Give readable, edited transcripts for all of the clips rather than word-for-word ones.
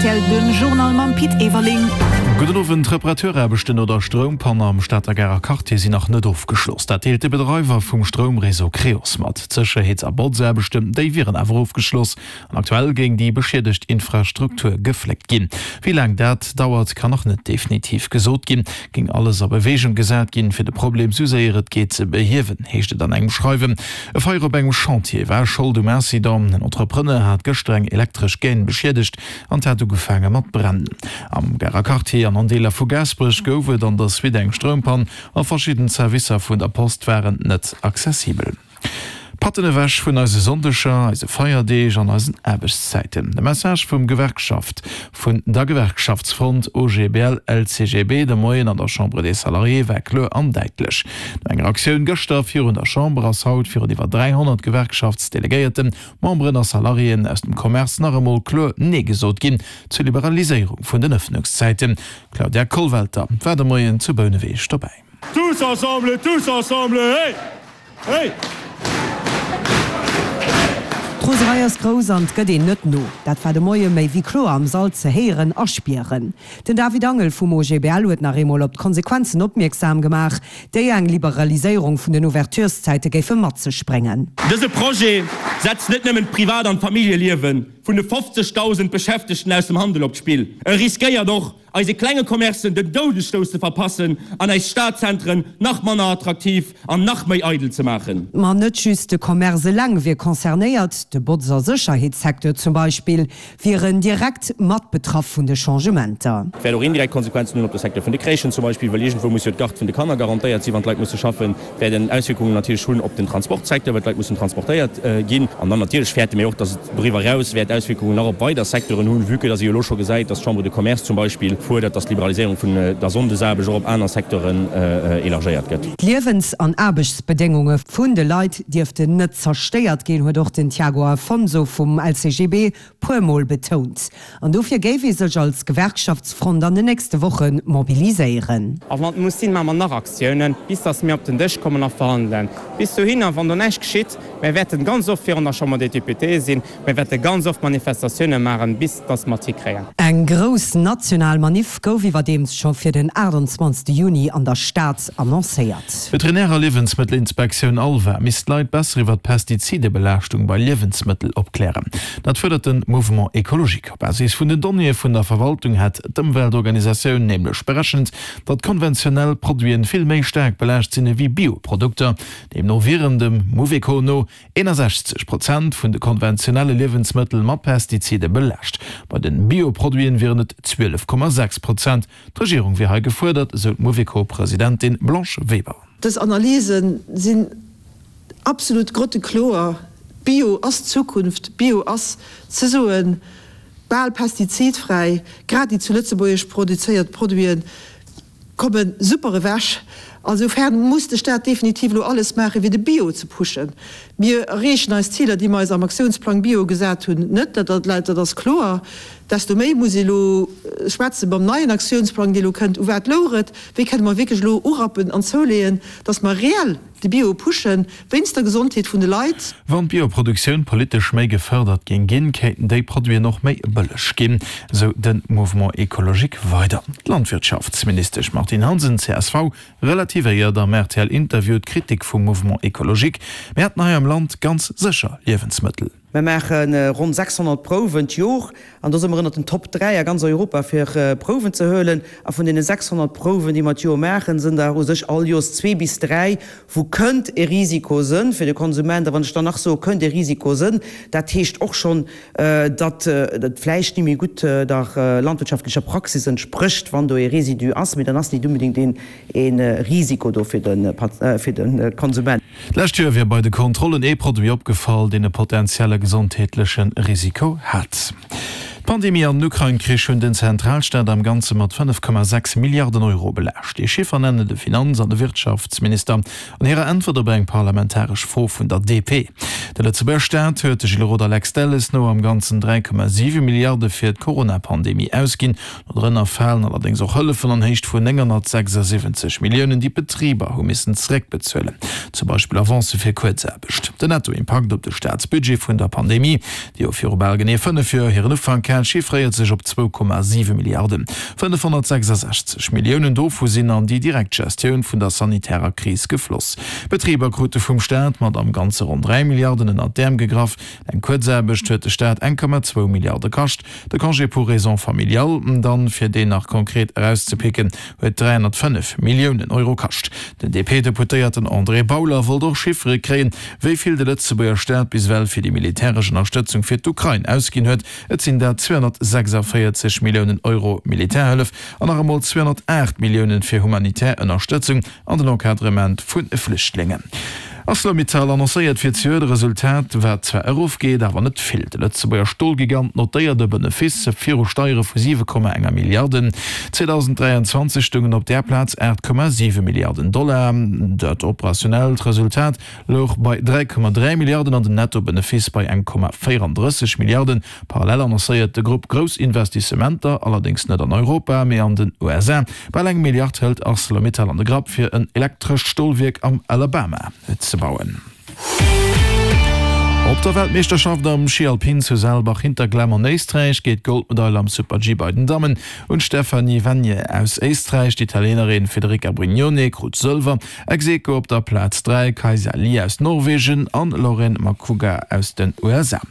rtl, den Journal mam Pit Everling. Gudden Owend. D'Reparaturaarbechten no der Stroumpann am Stater Garer Quartier sinn nach net ofgeschloss. Dat deelt de Bedreiwer vum Stroumreseau Creos mat. D'Sécherheets a Botzaarbechten, déi wieren awer ofgeschloss. An aktuell géing déi beschiedegt Infrastruktur gefléckt ginn. Wéi laang dat dauert, kann nach net definitiv gesot ginn. Géing alles a Beweegung gesat ginn, fir de Problem sou séier et geet ze behiewen, heescht et an engem Schreiwen. E Feier op engem Chantier war Schold um Incident. En Entrepreneur hat gëschter eng elektresch Gaine beschiedegt an 't hat ugefaange mat brennen. Am Garer Quartier an an Deeler vu Gaasperech gouf et an der Suite eng Stroumpann a verschidden Servicer vun der Post waren net accessibel. Patten ewech vun eise Sonndeger, eise Feierdeeg an eisen Aarbechtszäiten. De Message vum Gewerkschaft vun der Gewerkschaftsfront OGBL-LCGB de Moien an der Chambre des Salariés war kloer an däitlech. No enger Aktioun gëschter virun der Chamber ass haut virun iwwer 300 Gewerkschaftsdelegéierten, Memberen a Salariéen aus dem Commerce nach emol kloer Nee gesot ginn zur Liberaliséierung vun den Ëffnungszäiten. D'Claudia Kollwelter war de Moien zu Bouneweg dobäi. Tous ensemble, tous ensemble, hey! Hey! D'Roserei ass grouss an 't gëtt een net no. Dat war de Moie méi wéi kloer am Sall ze héieren a spieren. Den David Angel vum OGBL huet nach eemol op d'Konsequenzen opmierksam gemaach, déi eng Liberaliséierung vun den Ouvertureszäite géife mat sech bréngen. Dëse Projet setzt net nëmmen d'Privat an d'Familljeliewe vun de 50.000 Beschäftegten aus dem Handel op d'Spill, e riskéiert och, eise klenge Commercen den Doudesstouss ze verpassen an eis Stadzentren nach manner attraktiv an nach méi eidel ze maachen. Ma net just de Commerce eleng wier concernéiert, de Botz a Sécherheetssecteur zum Beispill wieren direkt mat betraff vun de Changementer. Et wäert och indirekt Konsequenzen hunn op de Secteur vun de Crèchen zum Beispill, well iergendwou muss jo d'Garde vun de Kanner garantéiert sinn, wann d'Leit musse schaffen. Et wäert en Auswierkungen natierlech hunn op den Transportsecteur, well d'Leit mussen transportéiert ginn. An dann natierlech fäerte mir och, dass et doriwwer eraus wäert Auswierkungen nach op weider Secteuren hunn, vue que dass ee jo elo scho gesäit, dass d'Chambre de Commerce zum Beispill fuerdert, dass d'Liberaliséierung vun der Sonndesaarbecht och op aner Secteuren élargéiert gëtt. D'Liewens an Aarbechtsbedéngunge vun de Leit dierften net zerstéiert ginn, huet och den Tiago Afonso vum LCGB puer Mol betount. An dofir géif ee sech als Gewerkschaftsfront an den nächste Woche mobiliséieren. A wann et muss sinn, maache mer nach Aktiounen, bis datt mir op den Dësch kommen a verhandelen. Bis dohinner, wann do näischt geschitt, mir wäerten ganz oft virun der Chambre des Députés sinn, mir wäerte ganz oft Manifestatioune maachen, bis datt mer et hikréien. Eng grouss national Maniff gouf iwwerdeems scho fir den 28 Juni an der Stad annoncéiert. D'Veterinär a Liewensmëttelinspektioun ALVA misst d'Leit besser iwwer d'Pestizidebelaaschtung bei Liewensmëttel opklären. Dat fuerdert de Mouvement Ecologique. Op Basis vun den Donnéeë vun der Verwaltung hätt d'Ëmweltorganisatioun nämlech berechent, datt konventionell Produiten vill méi staark belaascht sinn ewéi Bio-Produkter. Deemno wieren dem Mouveco no 61 Prozent vun de konventionelle Liewensmëttel mat Pestizide belaascht. Bei den Bio-Produiten wieren et 12,6 Prozent. D'Regierung wier hei gefuerdert, esou d'Mouveco-Presidentin Blanche Weber. Dës Analyse sinn absolut grottekloer, Bio ass d'Zukunft, Bio ass ze soen bal pestizidfräi, grad déi zu Lëtzebuerg produzéiert Produite komme super ewech. Ansoufern muss de Staat definitiv elo alles maachen, fir de Bio ze pushen. Mir erreechen eis Ziler, déi mer eis am Aktiounsplang Bio gesat hunn, net, dat ass kloer. Desto méi muss ee elo schwätze beim neien Aktiounsplang, dee elo kënnt, u wat louch et, wéi kënne mer wierklech elo urappen an zouleeën, dass mer reell de Bio pushen, wéinst der Gesondheet vun de Leit. Wann d'Bioproduktioun politesch méi gefërdert géing ginn, kéinten déi Produiten och méi bëlleg ginn, sou de Mouvement Ecologique weider. D'Landwirtschaftsministesch Martine Hansen, csv, relativéiert am RTL-Interview d'Kritik vum Mouvement Ecologique, Mir hätten hei am Land ganz sécher Liewensmëttel. Mer maache ronn 600 Prouwen d'Jor an do si mer ënnert den Top 3 a ganz Europa fir Prouwen ze huelen. A vun deene 600 Prouwen, déi mer d'Jor maachen, sinn der u sech all Joers zwee bis dräi, wou kënnt e Risiko sënn fir de Konsument. A wann ech dann nach soe kënnt e Risiko sënn, dat heescht och schonn, datt et vläicht ni méi gutt der landwirtschaftlecher Praxis entsprécht, wann do e Residu ass, mee dann ass nit unbedéngt een e Risiko do fir de Konsument. D'lescht Joer wier bei de Kontrollen ee Produit opgefall, deen e potentielle gesondheetleche Risiko hat. D'Pandemie an den Ukrain-Krich hunn den Zentralstaat am Ganze mat 5,6 Milliarden Euro belaascht. Dee Chiffer nennen de Finanz an de Wirtschaftsminister an hirer Äntwert op eng parlamentaresch Fro vun der DP. De Lëtzebuerger Staat huet de Gilles Roth a Lex Delles no am Ganzen 3,7 Milliarde fir d'Corona-Pandemie ausginn. Dorënner falen allerdéngs och Hëllefen an Héicht vun 976 Milliounen, déi d'Betriber hu missen zeréckbezuelen, zum Beispill Avancë fir Kuerzaarbecht. Den Nettoimpakt op de Staatsbudget vun der Pandemie, déi jo viru bal genee 5 Joer hiren Ufank hat. Staatsresultat chiffréiert sech op 2,7 Milliarden. 566 Milliounen dovu sinn an déi direkt Gestioun vun der sanitärer Kris gefloss. D'Betriber krute vum Staat mat am Ganze ronn 3 Milliarden ënnert d'Äerm gegraff. Eng Kuerzaarbecht huet de Staat 1,2 Milliarde kascht. De Congé pour raisons familiales dann, fir deen nach konkret erauszepicken, huet 305 Milliounen Euro kascht. Den DP-Deputéierten André Bauler wollt och Chiffere kréien, wéi vill de Lëtzebuerger Staat bis ewell fir déi militäresch Ënnerstëtzung fir d'Ukrain ausginn huet. Et sinn dat 246 Milliounen Euro Militärhëllef an nach emol 208 Milliounen fir humanitär Ënnerstëtzung an den Encadrement vu Flüchtlingen. Arcelor-Mittal annoncéiert fir zejoert e Resultat, wat zwar erofgeet, awer net vill. De Lëtzebuerger Stolgigant notéiert e Benefice viru Steiere vu 7,enger Milliarden. 2023 stoungen op där Plaz 8,7 Milliarden Dollar. Dat operationellt Resultat louch bei 3,3 Milliarden an den Netto-Benefice bei 1,34 Milliarden. Parallel annoncéiert de Grupp grouss Investissementer, allerdéngs net an Europa, mee an den USA. Bal eng Milliard hëlt Arcelor-Mittal an de Grapp, fir en elektrescht Stolwierk am Alabama ze bauen. Op der Weltmeeschterschaft am Schi Alpin zu Saalbach-Hinterglemm an Éisträich geet d'Goldmedail am Super-G bei den Dammen un d'Stefanie Venier aus Éisträich. D'Italienerin Federica Brignone krut Sëlwer. Ex aequo op der Plaz 3, Kajsa Lie aus Norwegen an Lauren Macuga aus den USA.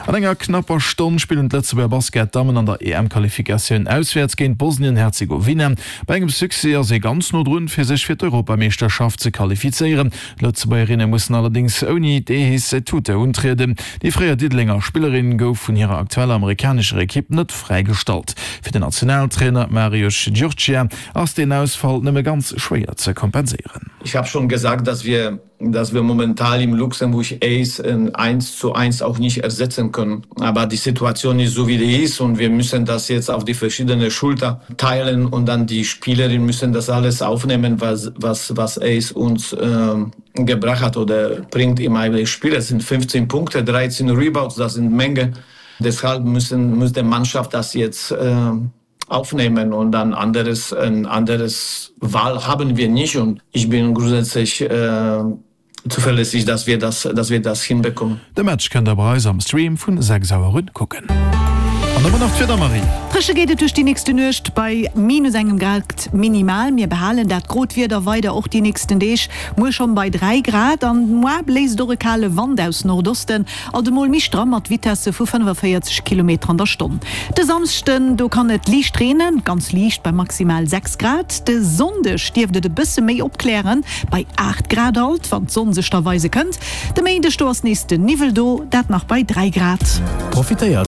An enger knapper Stonn spillen d'Lëtzebuerger Basket-Dammen an der EM-Qualifikatioun auswäerts géint Bosnien-Herzegowina. Bei engem Succès ass ee ganz no drun, fir sech fir d'Europameeschterschaft ze qualifizéieren. D'Lëtzebuergerinne mussen allerdéngs ouni d'Ehis Tute untrieden. Déi fréier Diddelenger Spillerin gouf vun hirer aktueller amerikanescher Ekipp net fräigestallt. Fir den Nationaltrainer Mariusz Djurcza ass deen Ausfall nëmme ganz schwéier ze kompenséieren. Ich habe schon gesagt, dass wir, dass wir momentan im Luxemburg Ace eins zu eins auch nicht ersetzen können. Aber die Situation ist so wie die ist und wir müssen das jetzt auf die verschiedene Schulter teilen und dann die Spielerinnen müssen das alles aufnehmen, was, was, was Ace uns äh, gebracht hat oder bringt im eigenen Spiel. Es sind 15 Punkte, 13 Rebounds, das sind Menge. Deshalb müssen, muss die Mannschaft das jetzt äh, aufnehmen und dann anderes ein anderes Wahl haben wir nicht und ich bin grundsätzlich äh, zuverlässig, dass wir das, dass wir das hinbekommen. De Match kënnt der bei eis am Stream vun 6 Auer un kucken. An da nach d'Wieder, Marie. Dréche geet et duerch déi nächste Nuecht bei minus engem Grad minimal. Mir behalen dat grot Wieder weider och déi nächsten Deeg, muer schonn bei 3 Grad an moar bléist och e kale Wand aus Nordosten. Alt emol méi stramm mat Vitesse vu 45 Kilometer an der Stonn. De Samschden, do kann et liicht reenen, ganz liicht bei maximal 6 Grad. De Sonndeg dierft et e bësse méi opklären, bei 8 Grad alt, wann d'Sonn sech da weise kënnt. De Méindeg, do ass nees de Niwwel do, dat nach bei 3 Grad. Profitéiert!